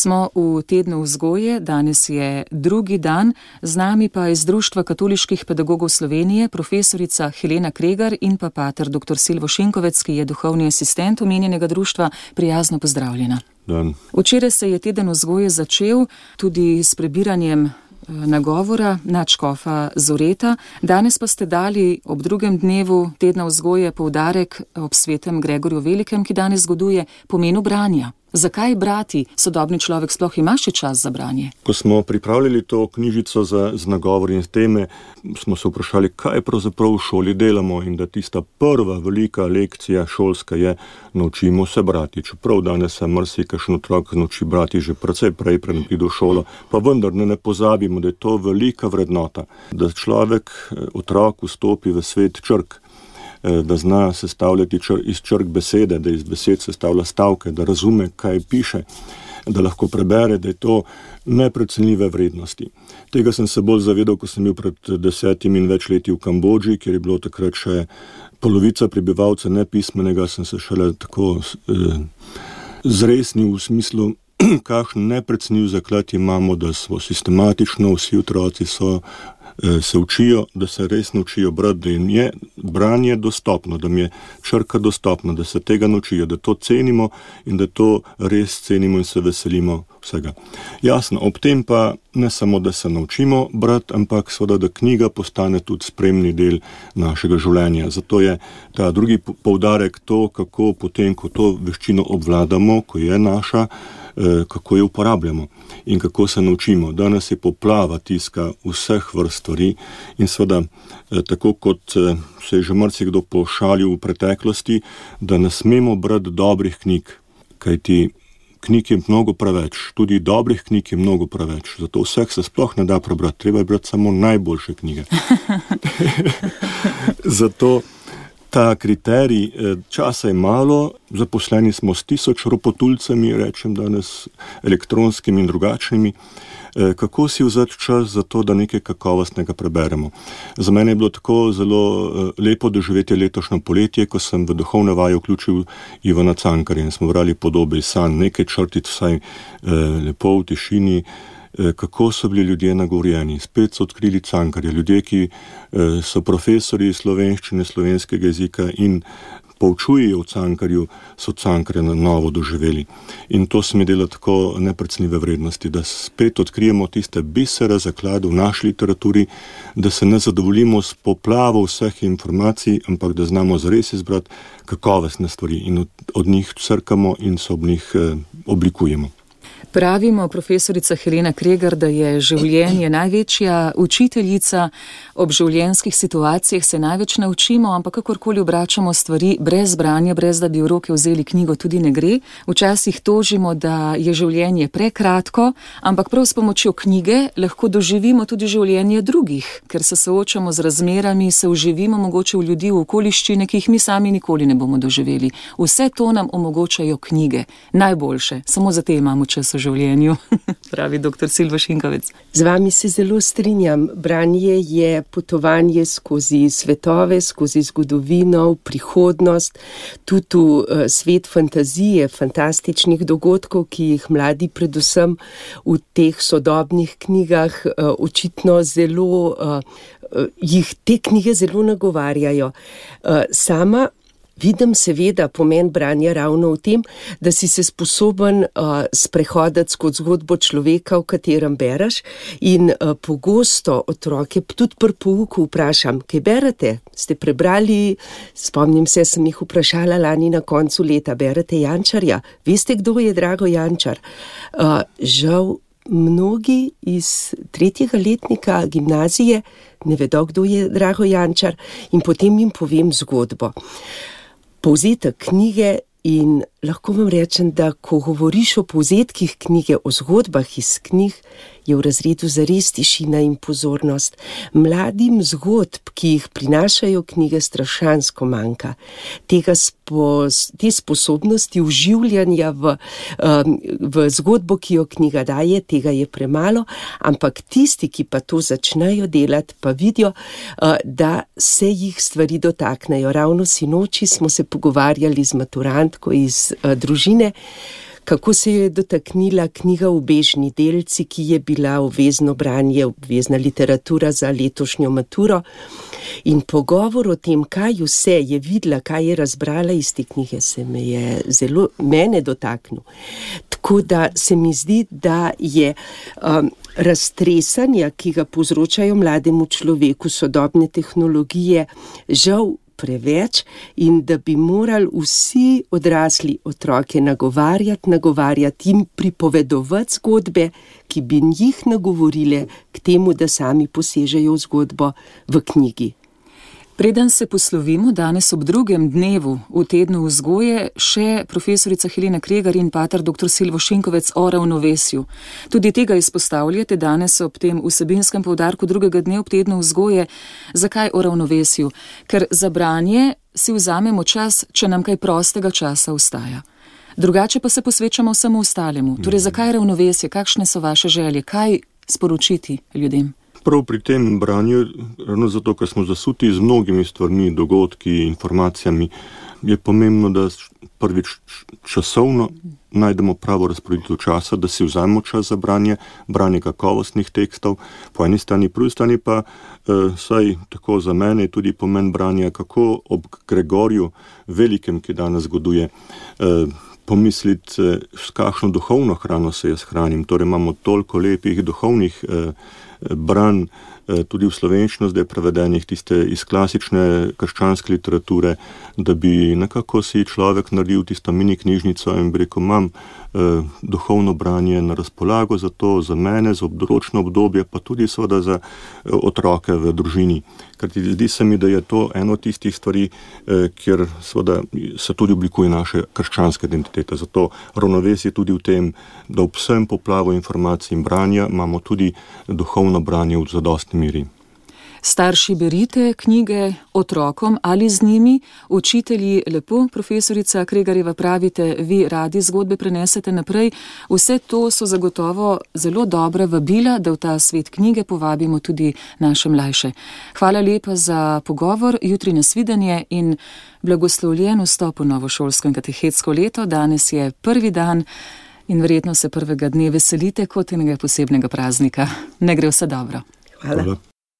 Smo v tednu vzgoje, danes je drugi dan, z nami pa iz Društva katoliških pedagogov Slovenije profesorica Helena Kregar in pa pater dr. Silvo Šinkovec, ki je duhovni asistent omenjenega društva. Prijazno pozdravljena. Dan. Včeraj se je teden vzgoje začel tudi s prebiranjem nagovora nadškofa Zoreta. Danes pa ste dali ob drugem dnevu tedna vzgoje poudarek ob svetem Gregorju Velikem, ki danes zgoduje pomenu branja. Zakaj brati? Sodobni človek sploh ima še čas za branje? Ko smo pripravljali to knjižico z nagovori in teme, smo se vprašali, kaj pravzaprav v šoli delamo, in da tista prva velika lekcija šolska je: naučimo se brati. Čeprav danes se marsikakšen otrok nauči brati že precej prej, preden pride v šolo, pa vendar ne pozabimo, da je to velika vrednota, da človek, otrok vstopi v svet črk, da zna sestavljati iz črk besede, da iz besed sestavlja stavke, da razume, kaj piše, da lahko prebere, da je to neprecenljive vrednosti. Tega sem se bolj zavedal, ko sem bil pred 10 in več leti v Kambodži, kjer je bilo takrat še polovica prebivalca nepismenega. Sem se šele tako zresnil v smislu, kakšen neprecenljiv zaklad imamo, da smo sistematično, vsi otroci se učijo, da se res naučijo brati, da jim je branje dostopno, da jim je črka dostopna, da se tega naučijo, da to cenimo in da to res cenimo in se veselimo vsega. Jasno, ob tem pa ne samo, da se naučimo brati, ampak seveda, da knjiga postane tudi spremni del našega življenja. Zato je ta drugi poudarek to, kako potem, ko to veščino obvladamo, ko je naša, kako jo uporabljamo in kako se naučimo. Danes je poplava tiska vseh vrst stvari in seveda, tako kot se je že marsikdo pošalil v preteklosti, da ne smemo brati dobrih knjig, kajti knjig je mnogo preveč, tudi dobrih knjig je mnogo preveč, zato vseh se sploh ne da prebrati, treba je brati samo najboljše knjige. Zato ta kriterij, časa je malo, zaposleni smo s 1000 ropotulcami, rečem danes, elektronskimi in drugačnimi. Kako si vzeti čas za to, da nekaj kakovostnega preberemo? Za mene je bilo tako zelo lepo doživeti letošnjo poletje, ko sem v duhovne vaje vključil Ivana Cankarja in smo brali Podobe iz sanj, nekaj črtic vsaj lepo v tišini, kako so bili ljudje nagovorjeni. Spet so odkrili Cankarja, ljudje, ki so profesori slovenščine, slovenskega jezika in poučujejo v Cankarju, so Cankarja na novo doživeli. In to se mi dela tako neprecenljive vrednosti, da spet odkrijemo tiste bisere zaklade v naši literaturi, da se ne zadovoljimo s poplavo vseh informacij, ampak da znamo zares izbrati kakovostne stvari in od njih crkamo in se ob njih oblikujemo. Pravimo, profesorica Helena Kregar, da je življenje največja učiteljica, ob življenjskih situacijah se največ naučimo, ampak kakorkoli obračamo stvari brez branja, brez da bi v roke vzeli knjigo, tudi ne gre. Včasih tožimo, da je življenje prekratko, ampak prav s pomočjo knjige lahko doživimo tudi življenje drugih, ker se soočamo z razmerami, se vživimo mogoče v ljudi, v okoliščine, ki jih mi sami nikoli ne bomo doživeli. Vse to nam omogočajo knjige, najboljše, samo za te imamo čas v življenju, pravi dr. Silvo Šinkovec. Z vami se zelo strinjam. Branje je potovanje skozi svetove, skozi zgodovino, prihodnost, tudi v svet fantazije, fantastičnih dogodkov, ki jih mladi predvsem v teh sodobnih knjigah očitno zelo, jih te knjige zelo nagovarjajo. Sama vidim seveda pomen branja ravno v tem, da si se sposoben sprehoditi skozi zgodbo človeka, v katerem bereš, in pogosto otroke tudi pri pouku vprašam, kaj berete? Ste prebrali? Spomnim se, sem jih vprašala lani na koncu leta, berete Jančarja? Veste, kdo je Drago Jančar? Žal mnogi iz 3. letnika gimnazije ne vedo, kdo je Drago Jančar, in potem jim povem zgodbo. Povzetek knjige, in lahko vam rečem, da ko govoriš o povzetkih knjige, o zgodbah iz knjig, je v razredu zares tišina in pozornost. Mladim zgodb, ki jih prinašajo knjige, strašansko manjka. Te sposobnosti vživljanja v zgodbo, ki jo knjiga daje, tega je premalo, ampak tisti, ki pa to začnejo delati, pa vidijo, da se jih stvari dotaknejo. Ravno sinoči smo se pogovarjali z maturantko iz družine, kako se jo je dotaknila knjiga Ubežni delci, ki je bila obvezno branje, obvezna literatura za letošnjo maturo. In pogovor o tem, kaj vse je videla, kaj je razbrala iz te knjige, se me je zelo mene dotaknil. Tako da se mi zdi, da je raztresanja, ki ga povzročajo mlademu človeku sodobne tehnologije, žal preveč in da bi morali vsi odrasli otroke nagovarjati in pripovedovati zgodbe, ki bi jih nagovorile k temu, da sami posežejo v zgodbo v knjigi. Preden se poslovimo danes ob drugem dnevu v tednu vzgoje, še profesorica Helena Kregar in pater dr. Silvo Šinkovec o ravnovesju. Tudi tega izpostavljate danes ob tem vsebinskem poudarku drugega dne ob tednu vzgoje. Zakaj o ravnovesju? Ker za branje si vzamemo čas, če nam kaj prostega časa ostaja. Drugače pa se posvečamo vsemu ostalemu. Torej, zakaj ravnovesje? Kakšne so vaše želje? Kaj sporočiti ljudem? Prav pri tem branju, ravno zato, ker smo zasuti z mnogimi stvarmi, dogodki, informacijami, je pomembno, da prvič časovno najdemo pravo razporeditev časa, da si vzamemo čas za branje kakovostnih tekstov, po eni strani, po drugi strani pa, saj tako za mene je tudi pomen branja, kako ob Gregorju Velikem, ki danes zgoduje, pomisliti, s kakšno duhovno hrano se jaz hranim. Torej imamo toliko lepih duhovnih branj, tudi v slovenščino zdaj prevedenih, tiste iz klasične krščanske literature, da bi nekako si človek naredil tisto mini knjižnico in bi rekel, imam duhovno branje na razpolago za to, za mene, za določeno obdobje, pa tudi seveda za otroke v družini. Ker zdi se mi, da je to eno od tistih stvari, kjer seveda se tudi oblikuje naša krščanska identiteta. Zato ravnovesje tudi v tem, da ob vsem poplavu informacij in branja imamo tudi duhovno branje v zadostni meri. Starši berite knjige otrokom ali z njimi, učitelji lepo, profesorica Kregarjeva pravite, vi radi zgodbe prenesete naprej. Vse to so zagotovo zelo dobra vabila, da v ta svet knjige povabimo tudi naše mlajše. Hvala lepa za pogovor, jutri nasvidenje in blagoslovljen vstop v novo šolsko in katehetsko leto. Danes je prvi dan in verjetno se prvega dne veselite kot enega posebnega praznika. Ne gre vse dobro. Hvala.